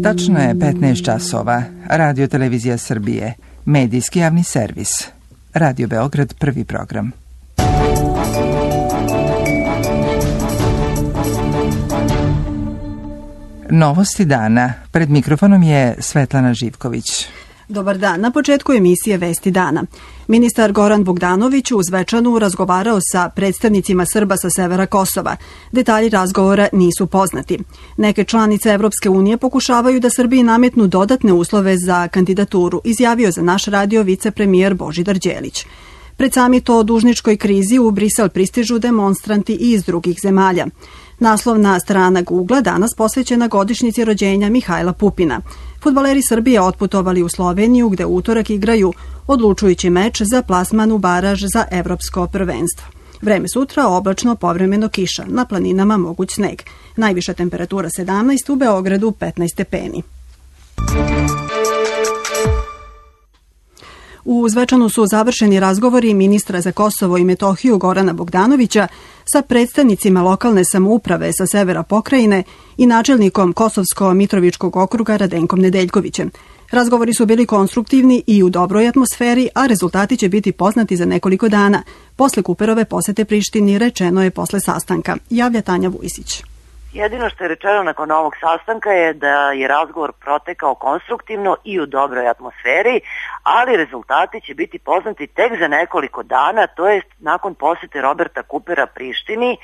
Tačno je 15 časova. Radio Televizija Srbije. Medijski javni servis. Radio Beograd, prvi program. Novosti dana. Pred mikrofonom je Svetlana Živković. Dobar dan. Na početku emisije Vesti dana. Ministar Goran Bogdanović u Zvečanu razgovarao sa predstavnicima Srba sa severa Kosova. Detalji razgovora nisu poznati. Neke članice Evropske unije pokušavaju da Srbiji nametnu dodatne uslove za kandidaturu, izjavio za naš radio vicepremijer Božidar Đelić. Pred samit o dužničkoj krizi u Brisel pristižu demonstranti i iz drugih zemalja. Naslovna strana Google danas posvećena godišnjici rođenja Mihajla Pupina. Fudbaleri Srbije otputovali u Sloveniju gde utorak igraju odlučujući meč za plasman u baraž za evropsko prvenstvo. Vreme sutra oblačno, povremeno kiša, na planinama moguć sneg. Najviša temperatura 17, u Beogradu 15 stepeni. U Zvečanu su završeni razgovori ministra za Kosovo i Metohiju Gorana Bogdanovića sa predstavnicima lokalne samouprave sa severa pokrajine i načelnikom Kosovsko-Mitrovičkog okruga Radenkom Nedeljkovićem. Razgovori su bili konstruktivni i u dobroj atmosferi, a rezultati će biti poznati za nekoliko dana. Posle Kuperove posete Prištini rečeno je posle sastanka, javlja Tanja Vujsić. Jedino što je rečeno nakon ovog sastanka je da je razgovor protekao konstruktivno i u dobroj atmosferi, ali rezultati će biti poznati tek za nekoliko dana, to jest nakon posete Roberta Kupera Prištini,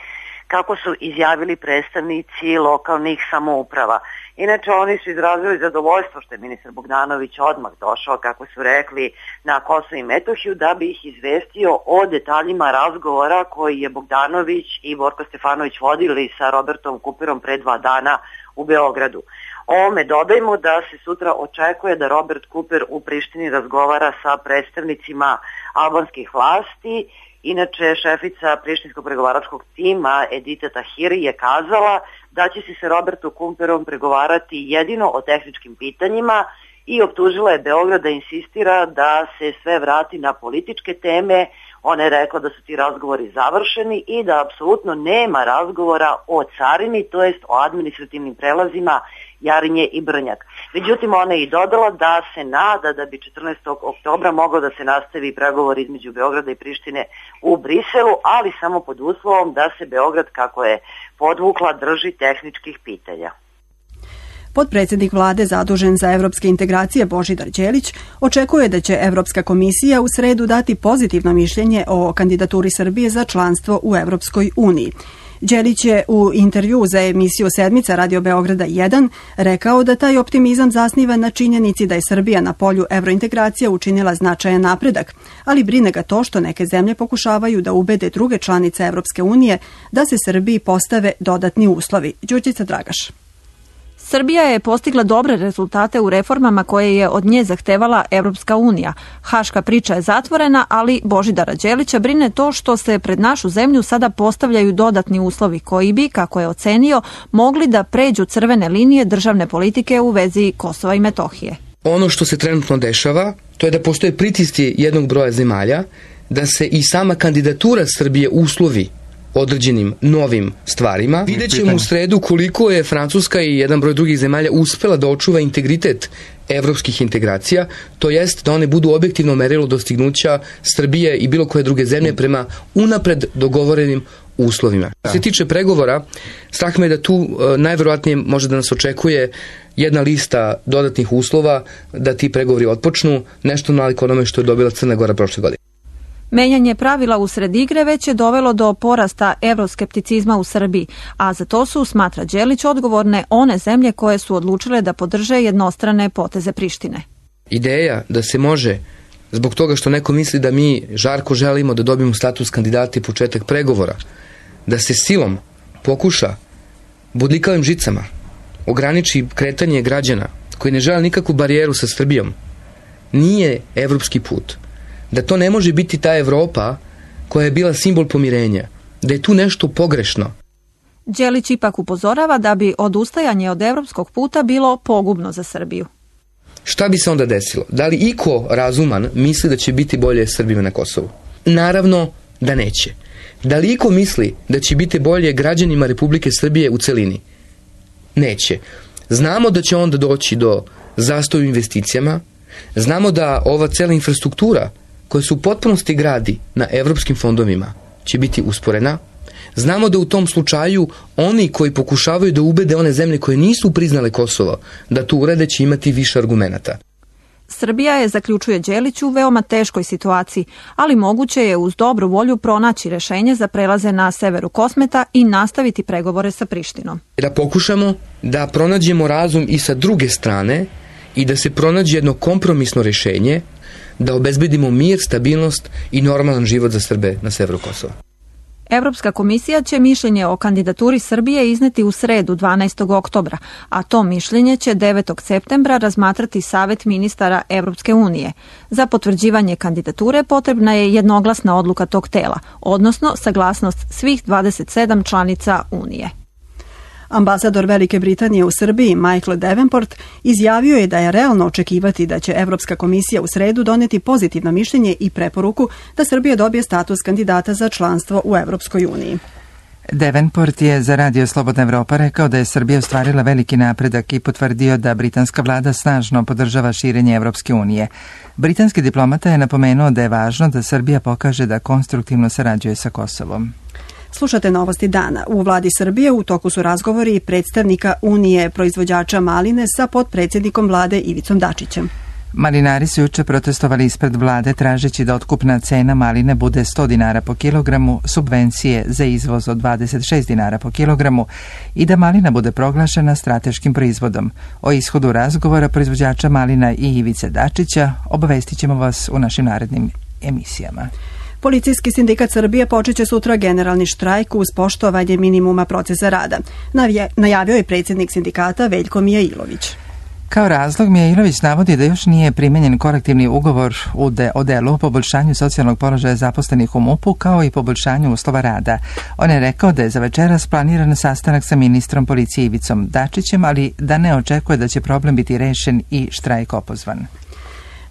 kako su izjavili predstavnici lokalnih samouprava. Inače, oni su izrazili zadovoljstvo što je ministar Bogdanović odmah došao, kako su rekli, na Kosovo i Metohiju, da bi ih izvestio o detaljima razgovora koji je Bogdanović i Borko Stefanović vodili sa Robertom Kuperom pre 2 dana u Beogradu. Ovome dodajmo da se sutra očekuje da Robert Kuper u Prištini razgovara sa predstavnicima albanskih vlasti. Inače, šefica prištinskog pregovaračkog tima Edita Tahiri je kazala da će se sa Robertom Kuperom pregovarati jedino o tehničkim pitanjima i optužila je Beograd da insistira da se sve vrati na političke teme. Ona je rekla da su ti razgovori završeni i da apsolutno nema razgovora o carini, to jest o administrativnim prelazima Jarinje i Brnjak. Međutim, ona je i dodala da se nada da bi 14. oktobra moglo da se nastavi pregovor između Beograda i Prištine u Briselu, ali samo pod uslovom da se Beograd, kako je podvukla, drži tehničkih pitanja. Potpredsjednik vlade zadužen za evropske integracije Božidar Đelić očekuje da će Evropska komisija u sredu dati pozitivno mišljenje o kandidaturi Srbije za članstvo u Evropskoj uniji. Đelić je u intervju za emisiju Sedmica Radio Beograda 1 rekao da taj optimizam zasniva na činjenici da je Srbija na polju evrointegracija učinila značajan napredak, ali brine ga to što neke zemlje pokušavaju da ubede druge članice Evropske unije da se Srbiji postave dodatni uslovi. Đurđica Dragaš. Srbija je postigla dobre rezultate u reformama koje je od nje zahtevala Evropska unija. Haška priča je zatvorena, ali Božidara Đelića brine to što se pred našu zemlju sada postavljaju dodatni uslovi koji bi, kako je ocenio, mogli da pređu crvene linije državne politike u vezi Kosova i Metohije. Ono što se trenutno dešava, to je da postoje pritisci jednog broja zemalja, da se i sama kandidatura Srbije uslovi određenim novim stvarima. Vidjet ćemo u sredu koliko je Francuska i jedan broj drugih zemalja uspela da očuva integritet evropskih integracija, to jest da one budu objektivno merilo dostignuća Srbije i bilo koje druge zemlje prema unapred dogovorenim uslovima. Što se tiče pregovora, strah me da tu najverovatnije može da nas očekuje jedna lista dodatnih uslova da ti pregovori otpočnu, nešto nalik onome što je dobila Crna Gora prošle godine. Menjanje pravila usred igre već je dovelo do porasta evroskepticizma u Srbiji, a za to su, smatra Đelić, odgovorne one zemlje koje su odlučile da podrže jednostrane poteze Prištine. Ideja da se može, zbog toga što neko misli da mi žarko želimo da dobijemo status kandidata i početak pregovora, da se silom pokuša bodljikavim žicama ograniči kretanje građana koji ne žele nikakvu barijeru sa Srbijom, nije evropski put. Da to ne može biti ta Evropa koja je bila simbol pomirenja, da je tu nešto pogrešno. Đelić ipak upozorava da bi odustajanje od evropskog puta bilo pogubno za Srbiju. Šta bi se onda desilo? Da li iko razuman misli da će biti bolje Srbima na Kosovu? Naravno da neće. Da li iko misli da će biti bolje građanima Republike Srbije u celini? Neće. Znamo da će onda doći do zastoja u investicijama, znamo da ova cela infrastruktura koja se u potpunosti gradi na evropskim fondovima će biti usporena. Znamo da u tom slučaju oni koji pokušavaju da ubede one zemlje koje nisu priznale Kosovo da to urade će imati više argumenata. Srbija je, zaključuje Đelić, u veoma teškoj situaciji, ali moguće je uz dobru volju pronaći rešenje za prelaze na severu Kosmeta i nastaviti pregovore sa Prištinom. Da pokušamo da pronađemo razum i sa druge strane i da se pronađe jedno kompromisno rešenje, da obezbedimo mir, stabilnost i normalan život za Srbe na severu Kosova. Evropska komisija će mišljenje o kandidaturi Srbije izneti u sredu 12. oktobra, a to mišljenje će 9. septembra razmatrati Savet ministara Evropske unije. Za potvrđivanje kandidature potrebna je jednoglasna odluka tog tela, odnosno saglasnost svih 27 članica Unije. Ambasador Velike Britanije u Srbiji, Michael Davenport, izjavio je da je realno očekivati da će Evropska komisija u sredu doneti pozitivno mišljenje i preporuku da Srbija dobije status kandidata za članstvo u Evropskoj uniji. Davenport je za Radio Slobodna Evropa rekao da je Srbija ostvarila veliki napredak i potvrdio da britanska vlada snažno podržava širenje Evropske unije. Britanski diplomata je napomenuo da je važno da Srbija pokaže da konstruktivno sarađuje sa Kosovom. Slušate Novosti dana. U vladi Srbije u toku su razgovori predstavnika Unije proizvođača maline sa potpredsjednikom vlade Ivicom Dačićem. Malinari su juče protestovali ispred vlade tražeći da otkupna cena maline bude 100 dinara po kilogramu, subvencije za izvoz od 26 dinara po kilogramu i da malina bude proglašena strateškim proizvodom. O ishodu razgovora proizvođača malina i Ivice Dačića obavestit ćemo vas u našim narednim emisijama. Policijski sindikat Srbije počeće sutra generalni štrajk uz poštovanje minimuma procesa rada. Najavio je predsjednik sindikata Veljko Mijailović. Kao razlog Mijailović navodi da još nije primenjen kolektivni ugovor o delu o poboljšanju socijalnog položaja zaposlenih u MUP-u kao i poboljšanju uslova rada. On je rekao da je za večeras planiran sastanak sa ministrom policije Ivicom Dačićem, ali da ne očekuje da će problem biti rešen i štrajk opozvan.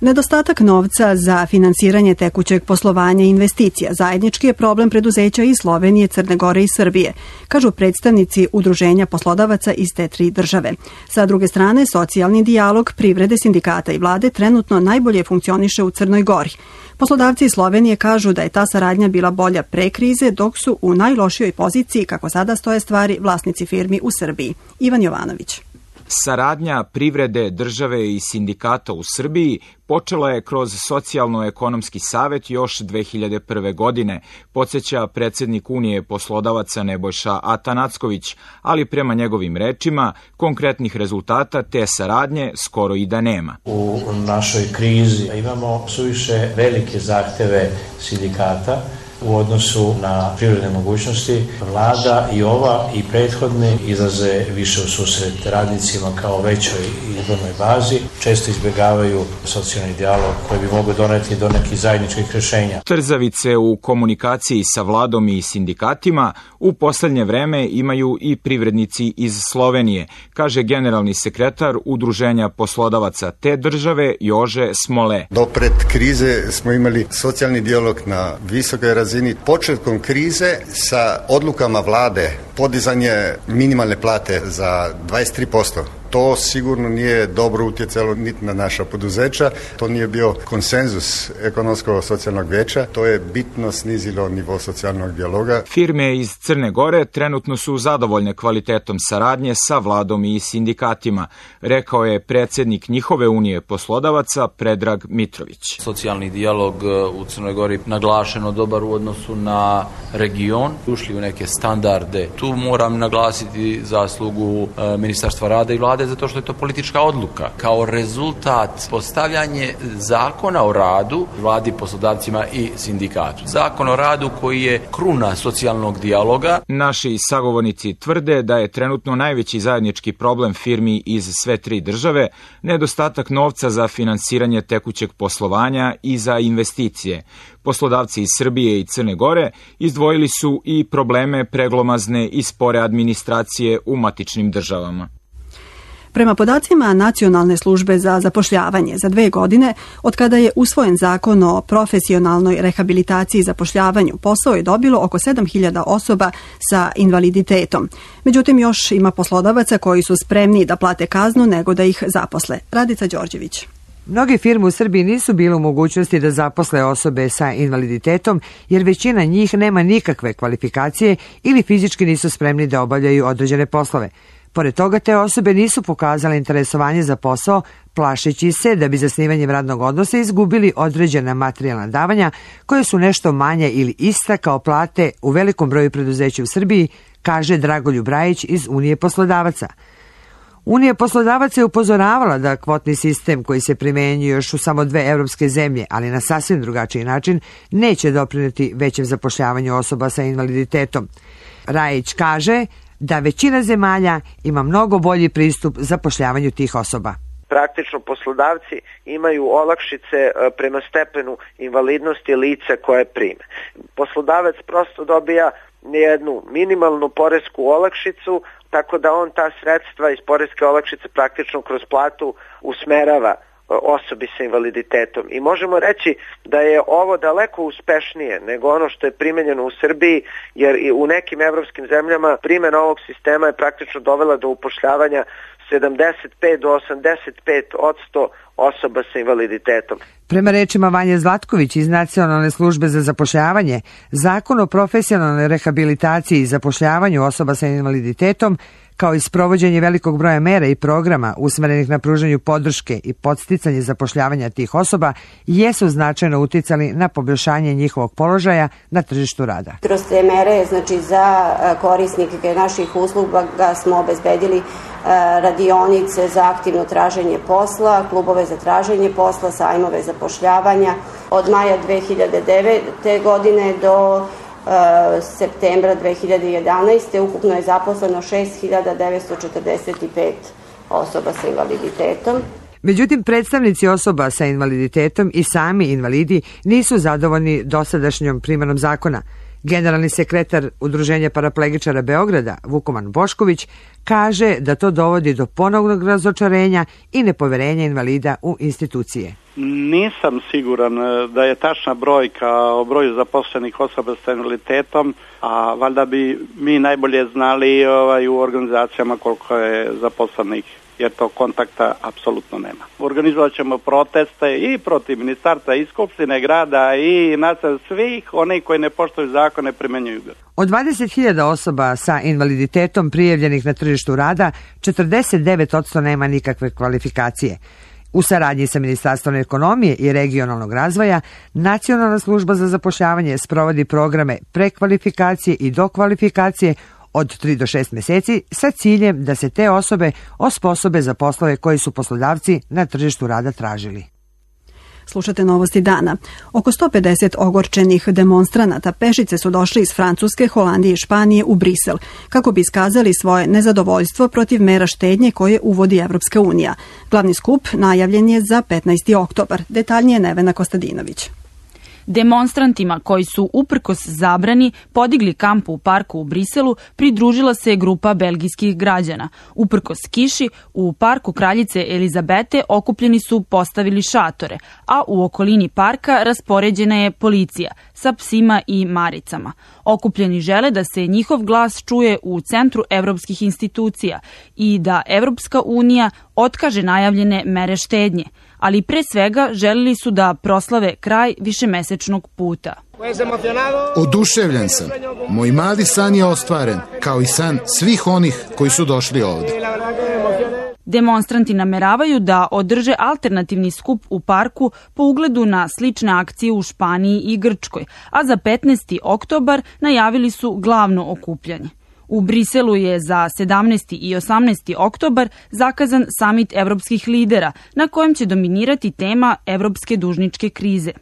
Nedostatak novca za finansiranje tekućeg poslovanja i investicija zajednički je problem preduzeća iz Slovenije, Crne Gore i Srbije, kažu predstavnici udruženja poslodavaca iz te tri države. Sa druge strane, socijalni dijalog privrede, sindikata i vlade trenutno najbolje funkcioniše u Crnoj Gori. Poslodavci iz Slovenije kažu da je ta saradnja bila bolja pre krize, dok su u najlošijoj poziciji, kako sada stoje stvari, vlasnici firmi u Srbiji. Ivan Jovanović. Saradnja privrede, države i sindikata u Srbiji počela je kroz Socijalno-ekonomski savet još 2001. godine, podsjeća predsjednik Unije poslodavaca Nebojša Atanacković, ali prema njegovim rečima konkretnih rezultata te saradnje skoro i da nema. U našoj krizi imamo suviše velike zahteve sindikata u odnosu na privredne mogućnosti. Vlada i ova i prethodne izlaze više u susret radnicima kao većoj izbornoj bazi. Često izbjegavaju socijalni dijalog koji bi mogao doneti do nekih zajedničkih rješenja. Trzavice u komunikaciji sa vladom i sindikatima u poslednje vreme imaju i privrednici iz Slovenije, kaže generalni sekretar Udruženja poslodavaca te države Jože Smole. Do pred krize smo imali socijalni dijalog na visokoj razini. Početkom krize sa odlukama vlade podizanje minimalne plate za 23%. To sigurno nije dobro utjecalo niti na naša poduzeća, to nije bio konsenzus ekonomsko-socijalnog vijeća, to je bitno snizilo nivo socijalnog dijaloga. Firme iz Crne Gore trenutno su zadovoljne kvalitetom saradnje sa vladom i sindikatima, rekao je predsjednik njihove unije poslodavaca Predrag Mitrović. Socijalni dijalog u Crnoj Gori naglašeno dobar u odnosu na region, ušli u neke standarde. Tu moram naglasiti zaslugu Ministarstva rada i vlade zato što je to politička odluka. Kao rezultat postavljanje zakona o radu vladi, poslodavcima i sindikatu. Zakon o radu koji je kruna socijalnog dijaloga. Naši sagovornici tvrde da je trenutno najveći zajednički problem firmi iz sve tri države nedostatak novca za finansiranje tekućeg poslovanja i za investicije. Poslodavci iz Srbije i Crne Gore izdvojili su i probleme preglomazne i spore administracije u matičnim državama. Prema podacima Nacionalne službe za zapošljavanje za 2 godine, od kada je usvojen zakon o profesionalnoj rehabilitaciji i zapošljavanju, posao je dobilo oko 7.000 osoba sa invaliditetom. Međutim, još ima poslodavaca koji su spremni da plate kaznu nego da ih zaposle. Radica Đorđević. Mnoge firme u Srbiji nisu bile u mogućnosti da zaposle osobe sa invaliditetom jer većina njih nema nikakve kvalifikacije ili fizički nisu spremni da obavljaju određene poslove. Pored toga, te osobe nisu pokazale interesovanje za posao, plašeći se da bi zasnivanjem radnog odnosa izgubili određena materijalna davanja koje su nešto manje ili ista kao plate u velikom broju preduzeća u Srbiji, kaže Dragoljub Brajić iz Unije poslodavaca. Unija poslodavaca je upozoravala da kvotni sistem koji se primenjuje još u samo 2 evropske zemlje, ali na sasvim drugačiji način, neće doprineti većem zapošljavanju osoba sa invaliditetom. Rajić kaže da većina zemalja ima mnogo bolji pristup zapošljavanju tih osoba. Praktično poslodavci imaju olakšice prema stepenu invalidnosti lica koje prime. Poslodavac prosto dobija jednu minimalnu poresku olakšicu, tako da on ta sredstva iz poreske olakšice praktično kroz platu usmerava osobi sa invaliditetom. I možemo reći da je ovo daleko uspešnije nego ono što je primenjeno u Srbiji, jer i u nekim evropskim zemljama primjena ovog sistema je praktično dovela do upošljavanja 75 do 85% osoba sa invaliditetom. Prema rečima Vanje Zlatković iz Nacionalne službe za zapošljavanje, Zakon o profesionalnoj rehabilitaciji i zapošljavanju osoba sa invaliditetom, kao i sprovođenje velikog broja mera i programa usmerenih na pružanju podrške i podsticanje zapošljavanja tih osoba, jesu značajno uticali na poboljšanje njihovog položaja na tržištu rada. Kroz te mere, znači za korisnike naših usluga smo obezbedili radionice za aktivno traženje posla, klubove za traženje posla, sajmove zapošljavanja. Od maja 2009. godine do septembra 2011. ukupno je zaposleno 6.945 osoba sa invaliditetom. Međutim, predstavnici osoba sa invaliditetom i sami invalidi nisu zadovoljni dosadašnjom primenom zakona. Generalni sekretar Udruženja paraplegičara Beograda, Vukoman Bošković, kaže da to dovodi do ponovnog razočarenja i nepoverenja invalida u institucije. Nisam siguran da je tačna brojka o broju zaposlenih osoba sa invaliditetom, a valjda bi mi najbolje znali u organizacijama koliko je zaposlenih, jer to kontakta apsolutno nema. Organizovat ćemo proteste i protiv ministarstva i skupštine grada i nas svih, oni koji ne poštuju zakone primenjuju ga. Od 20.000 osoba sa invaliditetom prijavljenih na tržištu rada, 49% nema nikakve kvalifikacije. U saradnji sa Ministarstvom ekonomije i regionalnog razvoja, Nacionalna služba za zapošljavanje sprovodi programe prekvalifikacije i dokvalifikacije od 3 do 6 meseci sa ciljem da se te osobe osposobe za poslove koji su poslodavci na tržištu rada tražili. Slušate novosti dana. Oko 150 ogorčenih demonstranata pešice su došli iz Francuske, Holandije i Španije u Brisel kako bi iskazali svoje nezadovoljstvo protiv mera štednje koje uvodi Evropska unija. Glavni skup najavljen je za 15. oktobar. Detaljnije Nevena Kostadinović. Demonstrantima koji su uprkos zabrani podigli kamp u parku u Briselu pridružila se grupa belgijskih građana. Uprkos kiši, u parku kraljice Elizabete okupljeni su postavili šatore, a u okolini parka raspoređena je policija sa psima i maricama. Okupljeni žele da se njihov glas čuje u centru evropskih institucija i da Evropska unija otkaže najavljene mere štednje, ali pre svega želili su da proslave kraj višemesečnog puta. Oduševljen sam. Moj mali san je ostvaren, kao i san svih onih koji su došli ovde. Demonstranti nameravaju da održe alternativni skup u parku po ugledu na slične akcije u Španiji i Grčkoj, a za 15. oktobar najavili su glavno okupljanje. U Briselu je za 17. i 18. oktobar zakazan samit evropskih lidera na kojem će dominirati tema evropske dužničke krize.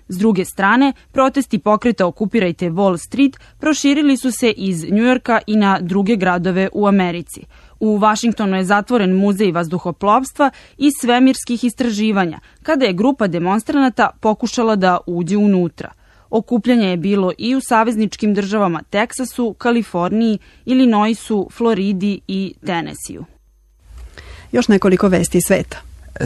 S druge strane, protesti pokreta Okupirajte Wall Street proširili su se iz Njujorka i na druge gradove u Americi. U Vašingtonu je zatvoren muzej vazduhoplovstva i svemirskih istraživanja, kada je grupa demonstranata pokušala da uđe unutra. Okupljanje je bilo i u savezničkim državama Teksasu, Kaliforniji, Illinoisu, Floridi i Tenesiju. Još nekoliko vesti sveta.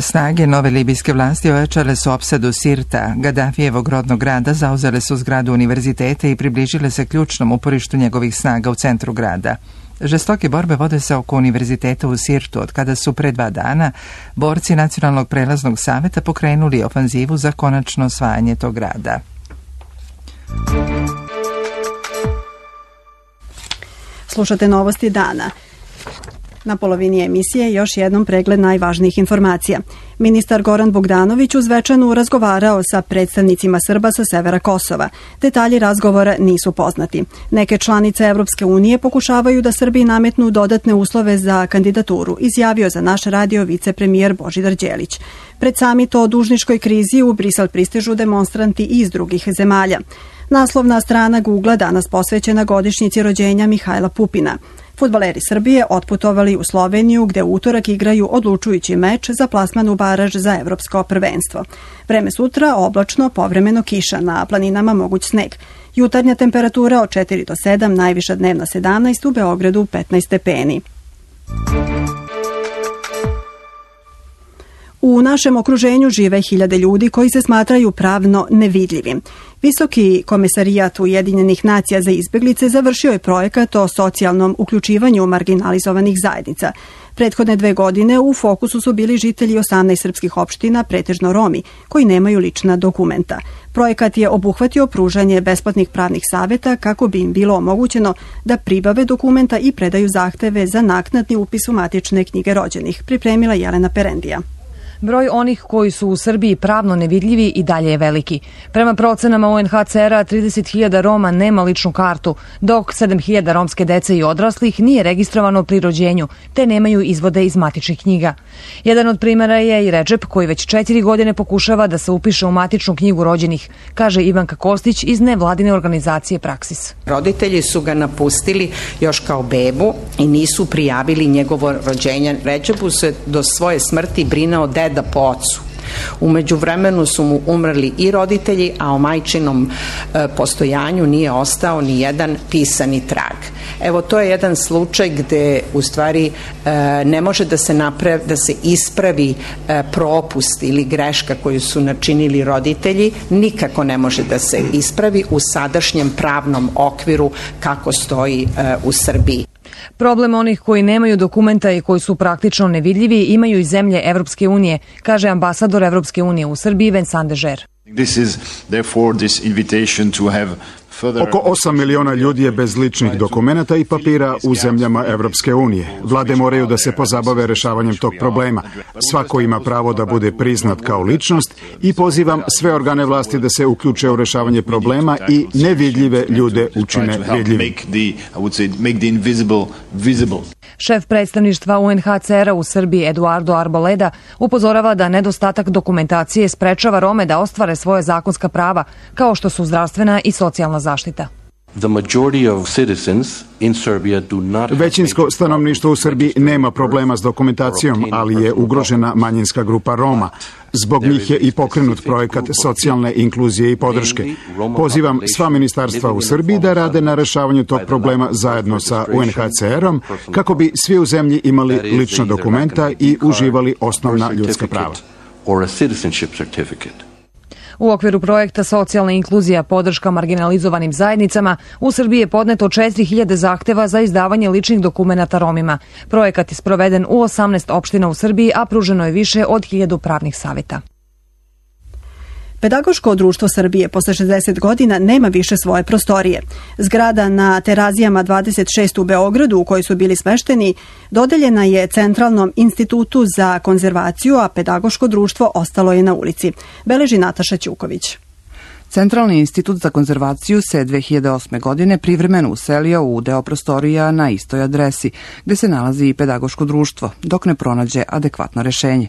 Snage nove libijske vlasti ojačale su opsadu Sirta, Gadafijevog rodnog grada, zauzele su zgradu univerziteta i približile se ključnom uporištu njegovih snaga u centru grada. Žestoke borbe vode se oko univerziteta u Sirtu, od kada su pre 2 dana borci Nacionalnog prelaznog saveta pokrenuli ofanzivu za konačno osvajanje tog grada. Slušate novosti dana. Na polovini emisije još jednom pregled najvažnijih informacija. Ministar Goran Bogdanović u Zvečanu razgovarao sa predstavnicima Srba sa severa Kosova. Detalji razgovora nisu poznati. Neke članice Evropske unije pokušavaju da Srbiji nametnu dodatne uslove za kandidaturu, izjavio za naš radio vicepremijer Božidar Đelić. Pred samit o dužničkoj krizi u Brisel pristižu demonstranti iz drugih zemalja. Naslovna strana Google danas posvećena godišnjici rođenja Mihajla Pupina. Fudbaleri Srbije otputovali u Sloveniju gde u utorak igraju odlučujući meč za plasman u baraž za evropsko prvenstvo. Vreme sutra oblačno, povremeno kiša, na planinama moguć sneg. Jutarnja temperatura od 4 do 7, najviša dnevna 17, u Beogradu 15 stepeni. U našem okruženju žive 1000 ljudi koji se smatraju pravno nevidljivim. Visoki komesarijat Ujedinjenih nacija za izbeglice završio je projekat o socijalnom uključivanju marginalizovanih zajednica. Prethodne 2 godine u fokusu su bili žitelji 18 srpskih opština, pretežno Romi, koji nemaju lična dokumenta. Projekat je obuhvatio pružanje besplatnih pravnih saveta kako bi im bilo omogućeno da pribave dokumenta i predaju zahteve za naknadni upis u matične knjige rođenih, pripremila Jelena Perendija. Broj onih koji su u Srbiji pravno nevidljivi i dalje je veliki. Prema procenama UNHCR-a, 30.000 Roma nema ličnu kartu, dok 7.000 romske dece i odraslih nije registrovano pri rođenju, te nemaju izvode iz matičnih knjiga. Jedan od primjera je i Redžep, koji već 4 godine pokušava da se upiše u matičnu knjigu rođenih, kaže Ivanka Kostić iz nevladine organizacije Praksis. Roditelji su ga napustili još kao bebu i nisu prijavili njegovo rođenje. Redžepu se do svoje smrti brinao deda po ocu. U međuvremenu su mu umrli i roditelji, a o majčinom postojanju nije ostao ni jedan pisani trag. Evo, to je jedan slučaj gde u stvari ne može da se ispravi propust ili greška koju su načinili roditelji, nikako ne može da se ispravi u sadašnjem pravnom okviru kako stoji u Srbiji. Problem onih koji nemaju dokumenta i koji su praktično nevidljivi imaju i zemlje Evropske unije, kaže ambasador Evropske unije u Srbiji Vincent Dežer. Oko 8 miliona ljudi je bez ličnih dokumenata i papira u zemljama Evropske unije. Vlade moraju da se pozabave rešavanjem tog problema. Svako ima pravo da bude priznat kao ličnost i pozivam sve organe vlasti da se uključe u rešavanje problema i nevidljive ljude učine vidljivim. Šef predstavništva UNHCR-a u Srbiji Eduardo Arboleda upozorava da nedostatak dokumentacije sprečava Rome da ostvare svoje zakonska prava, kao što su zdravstvena i socijalna zaštita. Većinsko stanovništvo u Srbiji nema problema s dokumentacijom, ali je ugrožena manjinska grupa Roma. Zbog njih je i pokrenut projekat socijalne inkluzije i podrške. Pozivam sva ministarstva u Srbiji da rade na rešavanju tog problema zajedno sa UNHCR-om, kako bi svi u zemlji imali lična dokumenta i uživali osnovna ljudska prava. U okviru projekta Socijalna inkluzija podrška marginalizovanim zajednicama u Srbiji je podneto 4.000 zahteva za izdavanje ličnih dokumenata Romima. Projekat je sproveden u 18 opština u Srbiji, a pruženo je više od 1000 pravnih saveta. Pedagoško društvo Srbije posle 60 godina nema više svoje prostorije. Zgrada na Terazijama 26 u Beogradu, u kojoj su bili smešteni, dodeljena je Centralnom institutu za konzervaciju, a pedagoško društvo ostalo je na ulici. Beleži Nataša Ćuković. Centralni institut za konzervaciju se 2008. godine privremeno uselio u deo prostorija na istoj adresi, gde se nalazi i pedagoško društvo, dok ne pronađe adekvatno rešenje.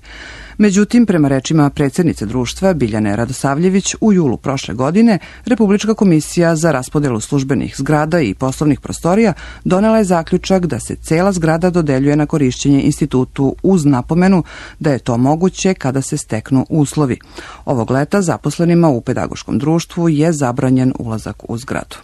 Međutim, prema rečima predsjednice društva Biljane Radosavljević, u julu prošle godine Republička komisija za raspodelu službenih zgrada i poslovnih prostorija donela je zaključak da se cela zgrada dodeljuje na korišćenje institutu uz napomenu da je to moguće kada se steknu uslovi. Ovog leta zaposlenima u pedagoškom društvu je zabranjen ulazak u zgradu.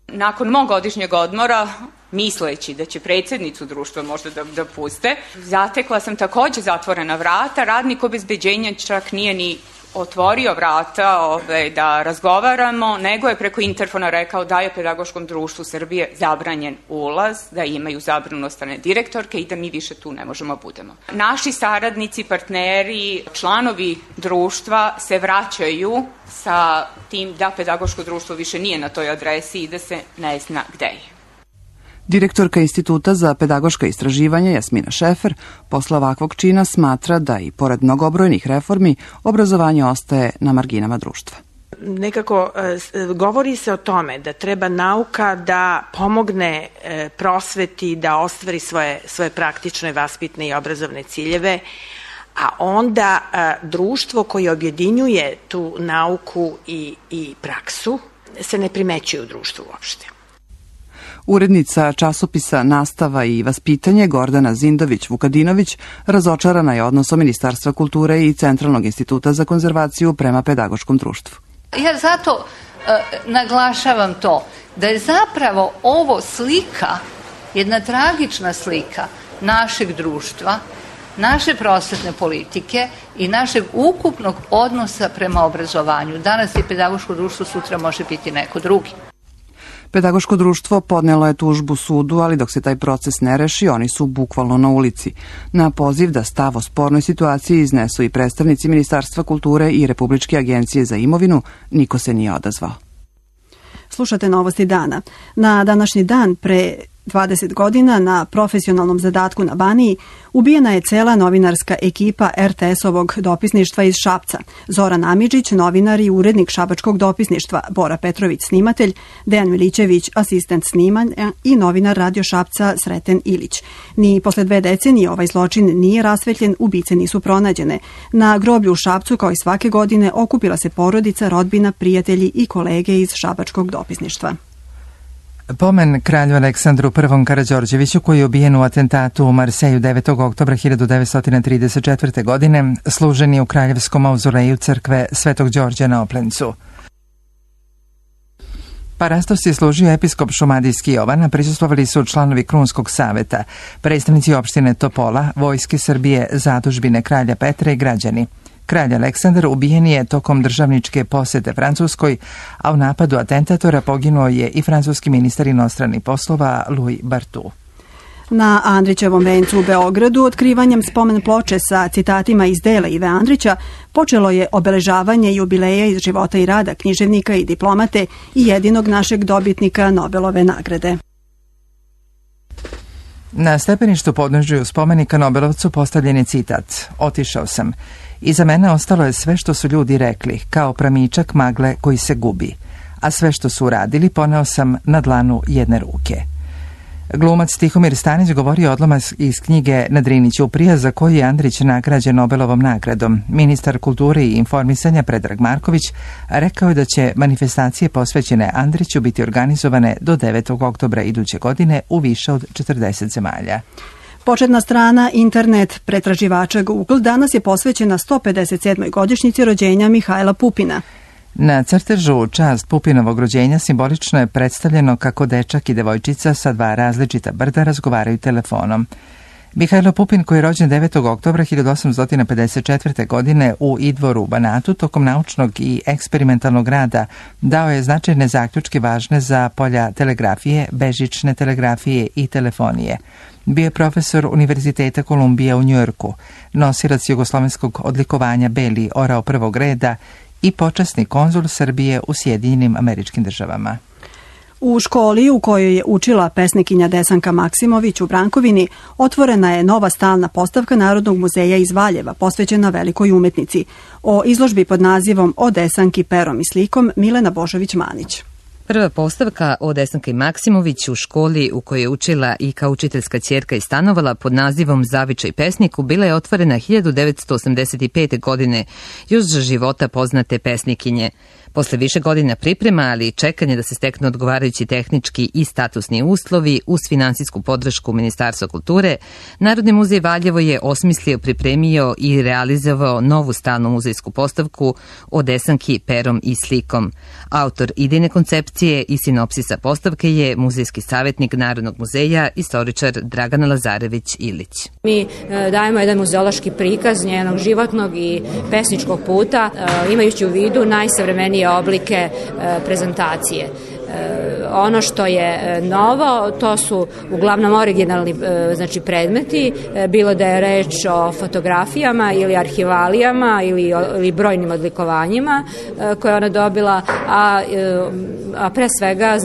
Nakon mog godišnjeg odmora misleći da će predsjednicu društva možda da puste. Zatekla sam takođe zatvorena vrata, radnik obezbeđenja čak nije ni otvorio vrata da razgovaramo, nego je preko interfona rekao da je Pedagoškom društvu Srbije zabranjen ulaz, da imaju zabranu od strane direktorke i da mi više tu ne možemo budemo. Naši saradnici, partneri, članovi društva se vraćaju sa tim da Pedagoško društvo više nije na toj adresi i da se ne zna gde je. Direktorka Instituta za pedagoška istraživanja Jasmina Šefer posle ovakvog čina smatra da i pored mnogobrojnih reformi obrazovanje ostaje na marginama društva. Nekako govori se o tome da treba nauka da pomogne prosveti da ostvari svoje praktične, vaspitne i obrazovne ciljeve, a onda društvo koje objedinjuje tu nauku i praksu se ne primećuje u društvu uopšte. Urednica časopisa Nastava i vaspitanje Gordana Zindović-Vukadinović razočarana je odnosom Ministarstva kulture i Centralnog instituta za konzervaciju prema pedagoškom društvu. Ja zato naglašavam to, da je zapravo ovo slika, jedna tragična slika našeg društva, naše prosvetne politike i našeg ukupnog odnosa prema obrazovanju. Danas je pedagoško društvo, sutra može biti neko drugi. Pedagoško društvo podnelo je tužbu sudu, ali dok se taj proces ne reši, oni su bukvalno na ulici. Na poziv da stav o spornoj situaciji iznesu i predstavnici Ministarstva kulture i Republičke agencije za imovinu, niko se nije odazvao. Slušate Novosti dana. Na današnji dan pre 20 godina na profesionalnom zadatku na Baniji ubijena je cela novinarska ekipa RTS-ovog dopisništva iz Šapca. Zoran Amidžić, novinar i urednik šabačkog dopisništva, Bora Petrović, snimatelj, Dejan Milićević, asistent snimanja i novinar Radio Šapca Sreten Ilić. Ni posle 2 decenije ovaj zločin nije rasvetljen, ubice nisu pronađene. Na groblju u Šapcu, kao i svake godine, okupila se porodica, rodbina, prijatelji i kolege iz šabačkog dopisništva. Pomen kralju Aleksandru I. Karađorđeviću, koji je ubijen u atentatu u Marseju 9. oktobra 1934. godine, služen je u kraljevskom mauzoleju crkve Svetog Đorđa na Oplencu. Parastos je služio episkop Šumadijski Jovan, a prisustvovali su članovi Krunskog saveta, predstavnici opštine Topola, Vojske Srbije, zadužbine kralja Petra i građani. Kralj Aleksandar ubijen je tokom državničke posete Francuskoj, a u napadu atentatora poginuo je i francuski ministar inostranih poslova Louis Bartou. Na Andrićevom vencu u Beogradu otkrivanjem spomen ploče sa citatima iz dela Ive Andrića počelo je obeležavanje jubileja iz života i rada književnika i diplomate i jedinog našeg dobitnika Nobelove nagrade. Na stepeništu podnožju spomenika Nobelovcu postavljen je citat: "Otišao sam. Iza mene ostalo je sve što su ljudi rekli, kao pramičak magle koji se gubi, a sve što su uradili poneo sam na dlanu jedne ruke." Glumac Tihomir Stanić govorio odlomak iz knjige Na Drini ćuprija, za koju je Andrić nagrađen Nobelovom nagradom. Ministar kulture i informisanja Predrag Marković rekao je da će manifestacije posvećene Andriću biti organizovane do 9. oktobra iduće godine u više od 40 zemalja. Početna strana internet pretraživača Google danas je posvećena 157. godišnjici rođenja Mihajla Pupina. Na crtežu u čast Pupinovog rođenja simbolično je predstavljeno kako dečak i devojčica sa 2 različita brda razgovaraju telefonom. Mihajlo Pupin, koji je rođen 9. oktobra 1854. godine u Idvoru u Banatu, tokom naučnog i eksperimentalnog rada dao je značajne zaključke važne za polja telegrafije, bežične telegrafije i telefonije. Bio je profesor Univerziteta Kolumbija u Njujorku, nosilac jugoslovenskog odlikovanja Beli orao prvog reda i počasni konzul Srbije u Sjedinjenim Američkim Državama. U školi u kojoj je učila pesnikinja Desanka Maksimović u Brankovini otvorena je nova stalna postavka Narodnog muzeja iz Valjeva posvećena velikoj umetnici. O izložbi pod nazivom O Desanki perom i slikom Milena Božović-Manić. Prva postavka o Desanki Maksimović u školi u kojoj je učila i kao učiteljska ćerka i stanovala pod nazivom Zavičaj pesniku bila je otvorena 1985. godine, još za života poznate pesnikinje. Posle više godina priprema, ali i čekanja da se steknu odgovarajući tehnički i statusni uslovi uz finansijsku podršku Ministarstva kulture, Narodni muzej Valjevo je osmislio, pripremio i realizovao novu stalnu muzejsku postavku o Desanki perom i slikom. Autor idejne koncepcije i sinopsisa postavke je muzejski savjetnik Narodnog muzeja, istoričar Dragana Lazarević-Ilić. Mi dajemo jedan muzeološki prikaz njenog životnog i pesničkog puta, imajući u vidu najsavremenije oblike prezentacije. Ono što je novo, to su uglavnom originalni predmeti, bilo da je reč o fotografijama ili arhivalijama ili brojnim odlikovanjima koje ona dobila, a pre svega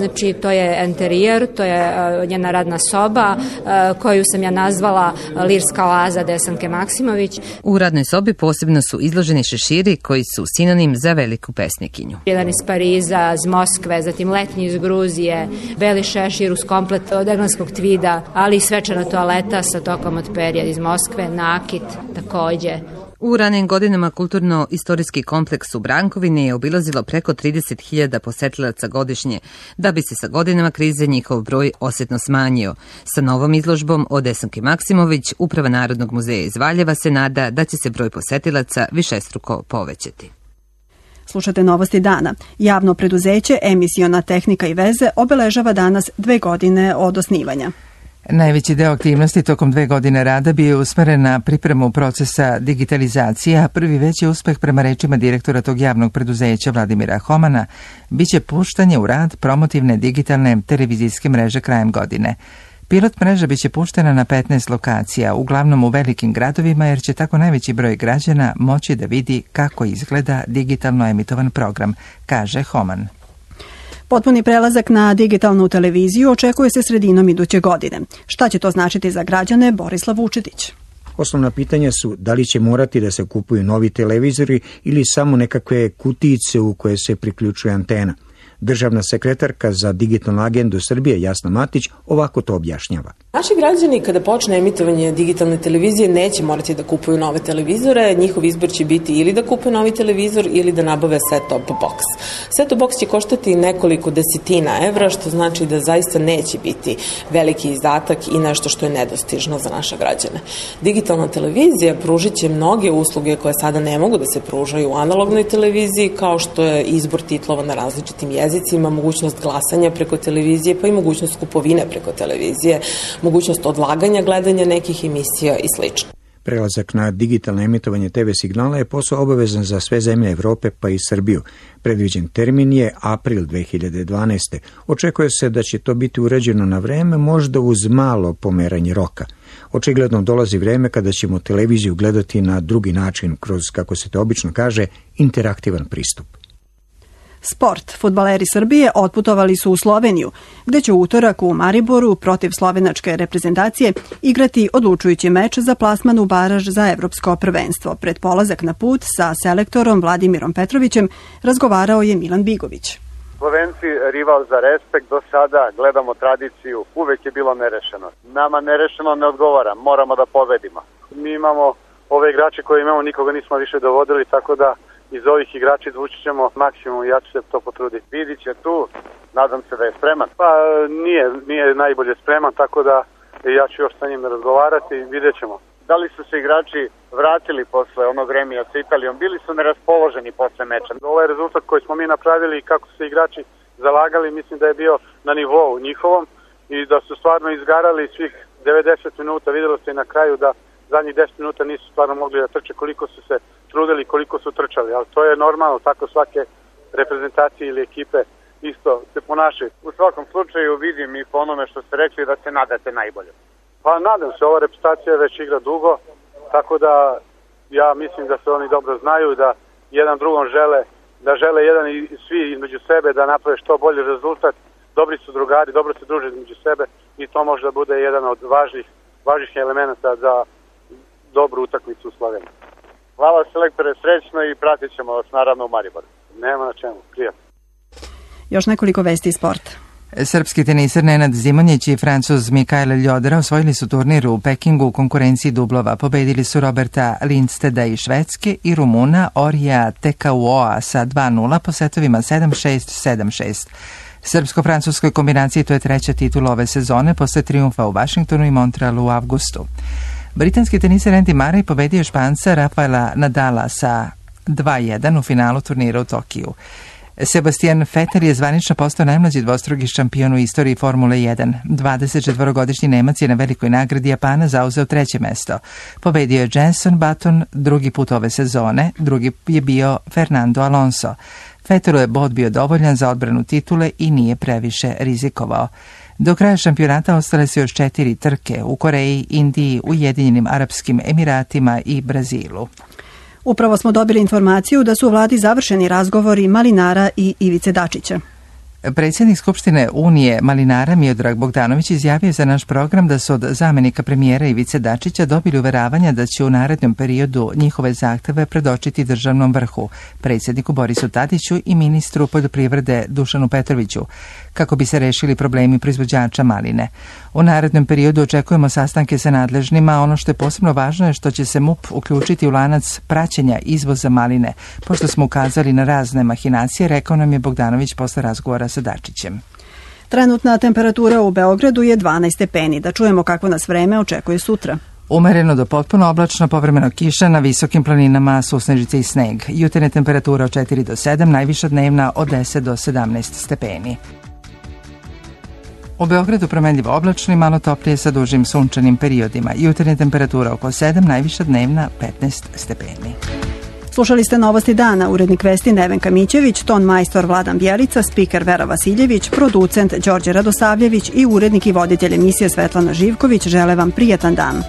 to je enterijer, to je njena radna soba koju sam ja nazvala Lirska oaza Desanke Maksimović. U radnoj sobi posebno su izloženi šeširi koji su sinonim za veliku pesnikinju. Jedan iz Pariza, iz Moskve, zatim letnji iz Gruzije, beli šešir uz komplet od engleskog tvida, ali i svečana toaleta sa tokom od perja iz Moskve, nakit takođe. U ranim godinama kulturno-istorijski kompleks u Brankovini je obilazilo preko 30.000 posetilaca godišnje, da bi se sa godinama krize njihov broj osjetno smanjio. Sa novom izložbom o Desanki Maksimović, Uprava Narodnog muzeja iz Valjeva se nada da će se broj posetilaca višestruko povećati. Slušate Novosti dana. Javno preduzeće Emisiona tehnika i veze obeležava danas 2 godine od osnivanja. Najveći deo aktivnosti tokom 2 godine rada bio je usmeren na pripremu procesa digitalizacije, a prvi veći uspeh prema rečima direktora tog javnog preduzeća Vladimira Homana biće puštanje u rad promotivne digitalne televizijske mreže krajem godine. Pilot mreža biće puštena na 15 lokacija, uglavnom u velikim gradovima, jer će tako najveći broj građana moći da vidi kako izgleda digitalno emitovan program, kaže Homan. Potpuni prelazak na digitalnu televiziju očekuje se sredinom iduće godine. Šta će to značiti za građane? Borislav Vučetić. Osnovna pitanja su da li će morati da se kupuju novi televizori ili samo nekakve kutijice u koje se priključuje antena. Državna sekretarka za digitalnu agendu Srbije Jasna Matić ovako to objašnjava. Naši građani kada počne emitovanje digitalne televizije neće morati da kupuju nove televizore, njihov izbor će biti ili da kupuju novi televizor ili da nabave set-top box. Set-top box će koštati nekoliko desetina evra, što znači da zaista neće biti veliki izdatak i nešto što je nedostižno za naše građane. Digitalna televizija pružit će mnoge usluge koje sada ne mogu da se pružaju u analognoj televiziji, kao što je izbor titlova na različitim jezicima, mogućnost glasanja preko televizije, pa i mogućnost kupovine preko televizije, mogućnost odlaganja gledanja nekih emisija i sl. Prelazak na digitalno emitovanje TV signala je posao obavezan za sve zemlje Evrope pa i Srbiju. Predviđen termin je april 2012. Očekuje se da će to biti urađeno na vreme, možda uz malo pomeranje roka. Očigledno dolazi vreme kada ćemo televiziju gledati na drugi način, kroz, kako se to obično kaže, interaktivan pristup. Sport. Fudbaleri Srbije otputovali su u Sloveniju, gde će u utorak u Mariboru protiv slovenačke reprezentacije igrati odlučujući meč za plasman u baraž za evropsko prvenstvo. Pred polazak na put sa selektorom Vladimirom Petrovićem razgovarao je Milan Bigović. Slovenci rival za respekt, do sada gledamo tradiciju, uvek je bilo nerešeno. Nama nerešeno ne odgovara, moramo da pobedimo. Mi imamo ove igrače koje imamo, nikoga nismo više dovodili, tako da iz ovih igrača izvući ćemo maksimum i ja ću se to potruditi. Vidit će tu, nadam se da je spreman. Pa nije najbolje spreman, tako da ja ću još sa njim razgovarati i vidjet ćemo. Da li su se igrači vratili posle onog remija sa Italijom? Bili su neraspoloženi posle meča. Ovaj rezultat koji smo mi napravili i kako su se igrači zalagali, mislim da je bio na nivou njihovom i da su stvarno izgarali svih 90 minuta. Videlo se i na kraju da zadnjih 10 minuta nisu stvarno mogli da trče, koliko su se trudili, koliko su trčali, ali to je normalno, tako svake reprezentacije ili ekipe isto se ponašaju. U svakom slučaju vidim i po onome što ste rekli da se nadate najbolje. Pa nadam se, ova reprezentacija već igra dugo, tako da ja mislim da se oni dobro znaju, da jedan drugom žele jedan i svi između sebe da naprave što bolji rezultat. Dobri su drugari, dobro se druže između sebe i to može da bude jedan od važnih elemenata za dobru utakmicu u Sloveniji. Hvala selektore, srećno i pratit ćemo vas naravno u Mariboru. Nema na čemu, prijatno. Još nekoliko vesti iz sporta. Srpski teniser Nenad Zimonjić i Francuz Mikael Ljodra osvojili su turnir u Pekingu u konkurenciji dublova. Pobedili su Roberta Lindsteda iz Švedske i Rumuna Orija Tekauoa sa 2-0 po setovima 7-6, 7-6. Srpsko-francuskoj kombinaciji to je treća titula ove sezone posle trijumfa u Vašingtonu i Montrealu u avgustu. Britanski teniser Andy Murray pobedio Španca Rafaela Nadala sa 2-1 u finalu turnira u Tokiju. Sebastian Vettel je zvanično postao najmlađi dvostruki šampion u istoriji Formule 1. 24-godišnji Nemac je na velikoj nagradi Japana zauzeo treće mesto. Pobedio je Jenson Button drugi put ove sezone, drugi je bio Fernando Alonso. Vettelu je bod bio dovoljan za odbranu titule i nije previše rizikovao. Do kraja šampionata ostale su još 4 trke u Koreji, Indiji, Ujedinjenim Arapskim Emiratima i Brazilu. Upravo smo dobili informaciju da su u vladi završeni razgovori Malinara i Ivice Dačića. Predsjednik Skupštine Unije Malinara Miodrag Bogdanović izjavio za naš program da su od zamenika premijera Ivice Dačića dobili uveravanja da će u narednom periodu njihove zahteve predočiti državnom vrhu, predsjedniku Borisu Tadiću i ministru poljoprivrede Dušanu Petroviću, kako bi se rešili problemi proizvođača maline. U narednom periodu očekujemo sastanke sa nadležnima, ono što je posebno važno je što će se MUP uključiti u lanac praćenja izvoza maline, pošto smo ukazali na razne mahinacije, rekao nam je Bogdanović posle razgovora sa Dačićem. Trenutna temperatura u Beogradu je 12 stepeni. Da čujemo kako nas vreme očekuje sutra. Umereno do potpuno oblačno, povremeno kiša, na visokim planinama susnežice i sneg. Jutarnja temperatura od 4 do 7, najviša dnevna od 10 do 17 stepeni. U Beogradu promenljivo oblačno i malo toplije sa dužim sunčanim periodima. Jutarnja temperatura oko 7, najviša dnevna 15 stepeni. Slušali ste Novosti dana, urednik vesti Nevenka Mićević, ton majstor Vladan Bjelica, spiker Vera Vasiljević, producent Đorđe Radosavljević i urednik i voditelj emisije Svetlana Živković žele vam prijatan dan.